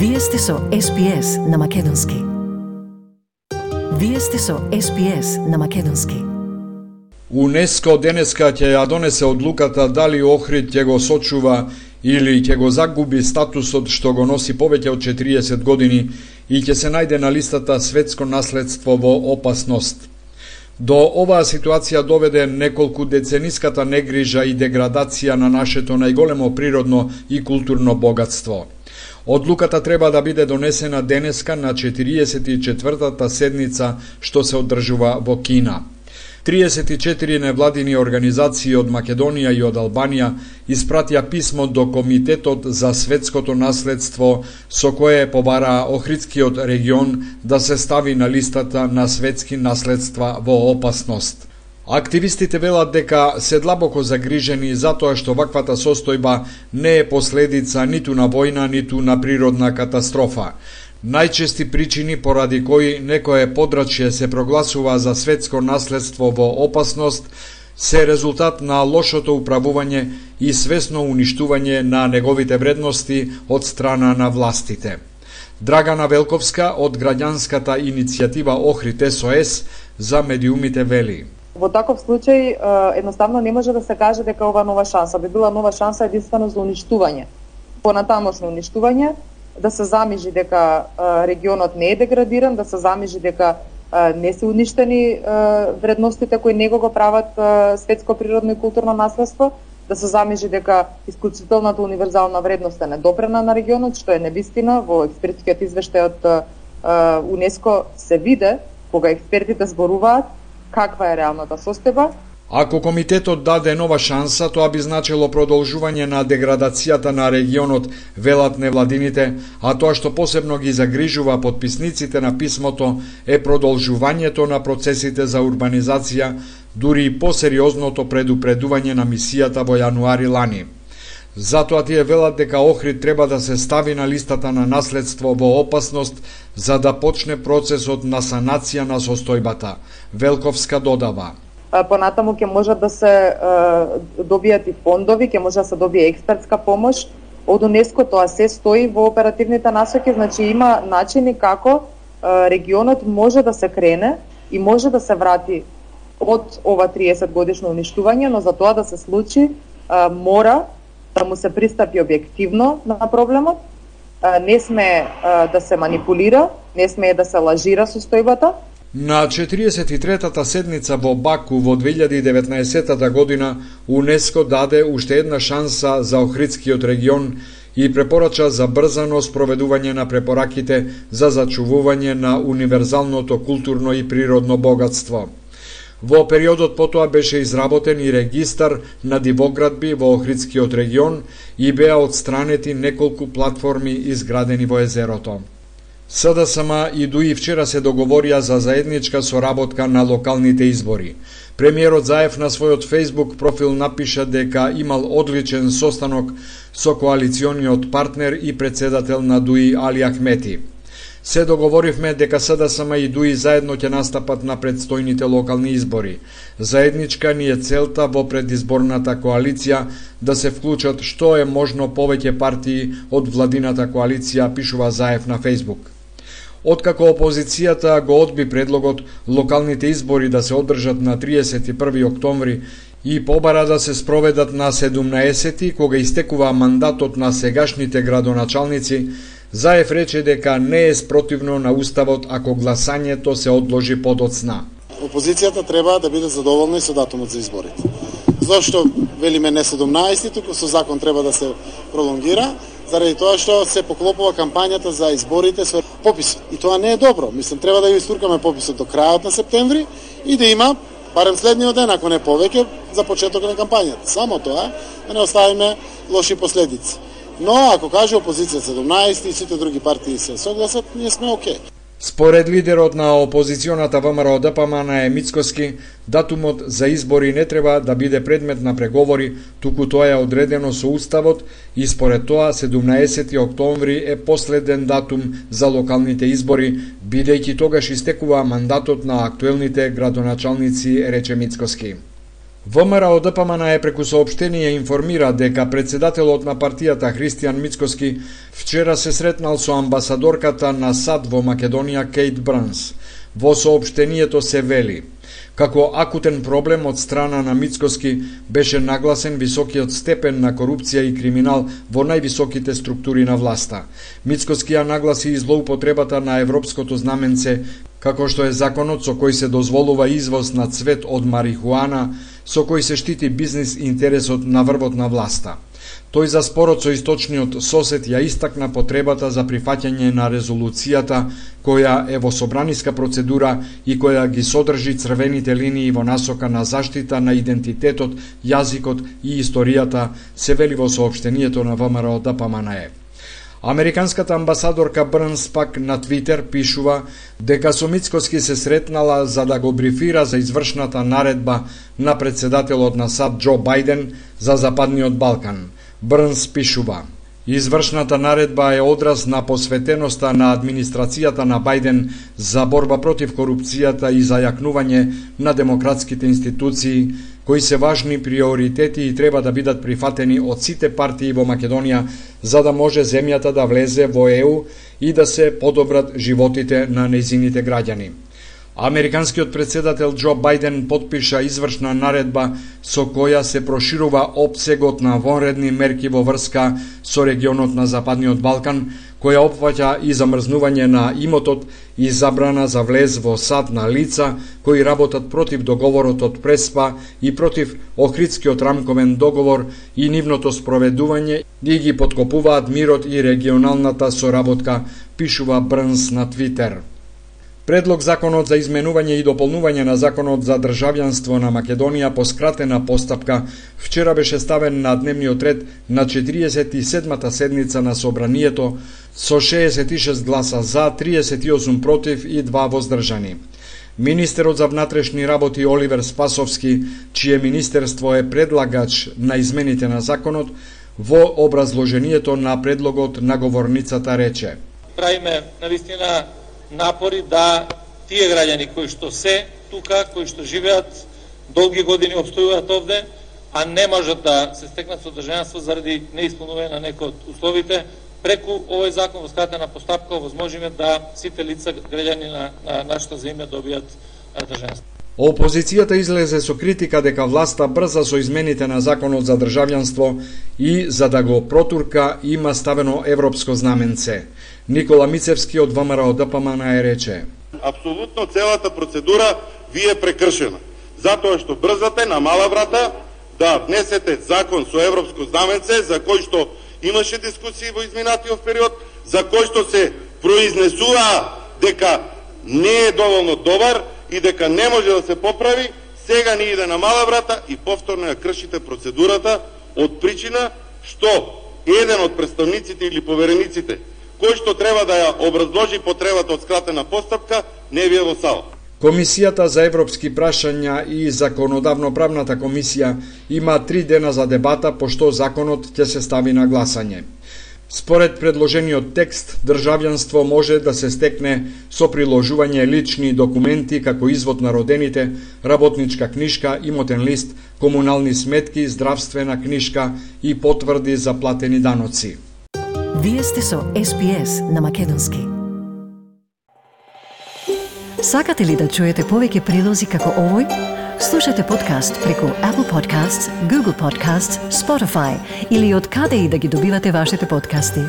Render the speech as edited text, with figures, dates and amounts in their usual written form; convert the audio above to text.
Вие сте со SPS на Македонски. Вие сте со SPS на Македонски. УНЕСКО денеска ќе ја донесе одлуката дали Охрид ќе го сочува или ќе го загуби статусот што го носи повеќе од 40 години и ќе се најде на листата светско наследство во опасност. До оваа ситуација доведе неколку децениската негрижа и деградација на нашето најголемо природно и културно богатство. Одлуката треба да биде донесена денеска на 44-та седница што се одржува во Кина. 34 невладини организации од Македонија и од Албанија испратија писмо до Комитетот за светското наследство со кое побараа Охридскиот регион да се стави на листата на светски наследства во опасност. Активистите велат дека се длабоко загрижени затоа што ваквата состојба не е последица ниту на војна, ниту на природна катастрофа. Најчести причини поради кои некое подрачје се прогласува за светско наследство во опасност се резултат на лошото управување и свесно уништување на неговите вредности од страна на властите. Драгана Велковска од граѓанската иницијатива Охрид СОС за медиумите вели: Во таков случај едноставно не може да се каже дека ова нова шанса би била нова шанса единствено за уништување. Понатамошно уништување, да се замижи дека регионот не е деградиран, да се замижи дека не се уништени вредностите кои него го прават светско природно и културно наследство, да се замижи дека исклучителната универзална вредност е недопрена на регионот, што е невистина. Во експертскиот извештај од УНЕСКО се виде, кога експертите зборуваат, каква е реалната состојба. Ако комитетот даде нова шанса, тоа би значило продолжување на деградацијата на регионот, велат невладините, а тоа што посебно ги загрижува подписниците на писмото е продолжувањето на процесите за урбанизација, дури и посериозното предупредување на мисијата во јануари лани. Затоа тие велат дека Охрид треба да се стави на листата на наследство во опасност за да почне процесот на санација на состојбата. Велковска додава: Понатаму ќе можат да се добијат и фондови, ќе може да се добие експертска помош од УНЕСКО, тоа се стои во оперативните насоки, значи има начини како регионот може да се крене и може да се врати од ова 30 годишно уништување, но за тоа да се случи мора да му се пристапи објективно на проблемот, не сме да се манипулира, не сме да се лажира состојбата. На 43-та седница во Баку во 2019 година УНЕСКО даде уште една шанса за Охридскиот регион и препорача за брзано спроведување на препораките за зачувување на универзалното културно и природно богатство. Во периодот потоа беше изработен и регистар на дивоградби во Охридскиот регион и беа отстранети неколку платформи изградени во езерото. СДСМ и ДУИ вчера се договорија за заедничка соработка на локалните избори. Премиерот Заев на својот Facebook профил напиша дека имал одличен состанок со коалициониот партнер и председател на ДУИ Али Ахмети. Се договоривме дека СДСМ и ДУИ заедно ќе настапат на предстојните локални избори. Заедничка ни е целта во предизборната коалиција да се вклучат што е можно повеќе партии од владината коалиција, пишува Заев на Facebook. Откако опозицијата го одби предлогот локалните избори да се одржат на 31 октомври и побара да се спроведат на 17, кога истекува мандатот на сегашните градоначалници, Заев рече дека не е спротивно на уставот ако гласањето се одложи подоцна. Опозицијата треба да биде задоволна и со датумот за изборите. Зошто велиме не 17, туку со закон треба да се пролонгира, заради тоа што се поклопува кампањата за изборите со попис. И тоа не е добро. Мислам, треба да ја истуркаме пописот до крајот на септември и да има барем следниот ден, ако не повеќе, за почеток на кампањата. Само тоа, да не оставиме лоши последици. Но, ако каже опозиција 17 и сите други партии се согласат, ние сме окей. Според лидерот на опозиционата ВМРО ДПМН Мицкоски, датумот за избори не треба да биде предмет на преговори, туку тоа е одредено со уставот и според тоа 17 октомври е последен датум за локалните избори, бидејќи тогаш истекува мандатот на актуелните градоначалници, рече Мицкоски. ВМРО ДПМН преку соопштение информира дека председателот на партијата Христијан Мицкоски вчера се сретнал со амбасадорката на САД во Македонија Кейт Бранс. Во соопштението се вели: како акутен проблем од страна на Мицкоски беше нагласен високиот степен на корупција и криминал во највисоките структури на власта. Мицкоски ја нагласи и злоупотребата на европското знаменце, како што е законот со кој се дозволува извоз на цвет од марихуана, со кој се штити бизнис интересот на врвот на власта. Тој за спорот со источниот сосед ја истакна потребата за прифаќање на резолуцијата која е во собраниска процедура и која ги содржи црвените линии во насока на заштита на идентитетот, јазикот и историјата, се вели во соопштението на ВМРО ДПМН. Американската амбасадорка Брнс пак на Твитер пишува дека со Мицкоски се сретнала за да го брифира за извршната наредба на председателот на САД Џо Бајден за Западниот Балкан. Брнс пишува: извршната наредба е одраз на посветеноста на администрацијата на Бајден за борба против корупцијата и за јакнување на демократските институции, кои се важни приоритети и треба да бидат прифатени од сите партии во Македонија, за да може земјата да влезе во ЕУ и да се подобрат животите на нејзините граѓани. Американскиот председател Џо Бајден потпиша извршна наредба со која се проширува опсегот на вонредни мерки во врска со регионот на Западниот Балкан, која опфаќа и замрзнување на имотот и забрана за влез во САД на лица кои работат против договорот од Преспа и против Охридскиот рамковен договор и нивното спроведување и ги подкопуваат мирот и регионалната соработка, пишува Брнс на Твитер. Предлог законот за изменување и дополнување на законот за државјанство на Македонија по скратена постапка вчера беше ставен на дневниот ред на 47-та седница на собранието со 66 гласа за, 38 против и 2 воздржани. Министерот за внатрешни работи Оливер Спасовски, чие министерство е предлагач на измените на законот, во образложението на предлогот на говорницата рече: правиме навистина напори да тие граѓани кои што се тука, кои што живеат долги години, обстојуваат овде, а не можат да се стекнат со државјанство заради неисполнување на некои од условите, преку овој закон во скратена постапка овозможиме да сите лица граѓани на нашата земја добијат државјанство. Опозицијата излезе со критика дека власта брза со измените на законот за државјанство и за да го протурка има ставено европско знаменце. Никола Мицевски од ВМРО ДПМН рече: апсолутно целата процедура ви е прекршена, затоа што брзате на мала врата да внесете закон со европско знаменце за кој што имаше дискусии во изминатиот период, за кој што се произнесува дека не е доволно добар и дека не може да се поправи. Сега ни иде на мала врата и повторно ја кршите процедурата од причина што еден од представниците или поверениците кој што треба да ја образложи потребата од скратена постапка не ви е во сала. Комисијата за европски прашања и законодавно-правната комисија има 3 дена за дебата, пошто законот ќе се стави на гласање. Според предложениот текст, државјанство може да се стекне со приложување лични документи како извод на родените, работничка книшка, имотен лист, комунални сметки, здравствена книшка и потврди за платени даноци. Вие сте со SPS на Македонски. Сакате ли да чуете повеќе прилози како овој? Слушате подкаст преку Apple Podcasts, Google Podcasts, Spotify или од каде и да ги добивате вашите подкасти.